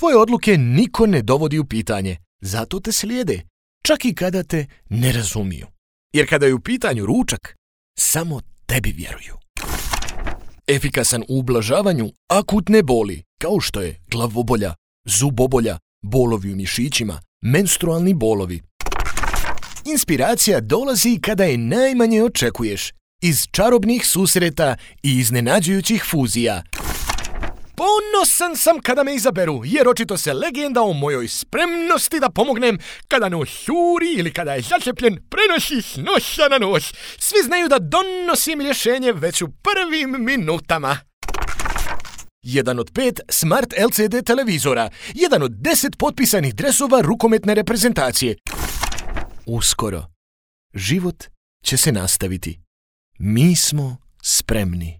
Tvoje odluke niko ne dovodi u pitanje, zato te slijede, čak i kada te ne razumiju. Jer kada je u pitanju ručak, samo tebi vjeruju. Efikasan u ublažavanju akutne boli, kao što je glavobolja, zubobolja, bolovi u mišićima, menstrualni bolovi. Inspiracija dolazi kada je najmanje očekuješ, iz čarobnih susreta i iznenađujućih fuzija. Ponosan sam kada me izaberu, jer očito se legenda o mojoj spremnosti da pomognem kada nos juri ili kada je začepljen prenosi s nosa na nos. Svi znaju da donosim rješenje već u prvim minutama. 1 od 5 Smart LCD televizora, 1 od 10 potpisanih dresova rukometne reprezentacije. Uskoro, život će se nastaviti. Mi smo spremni.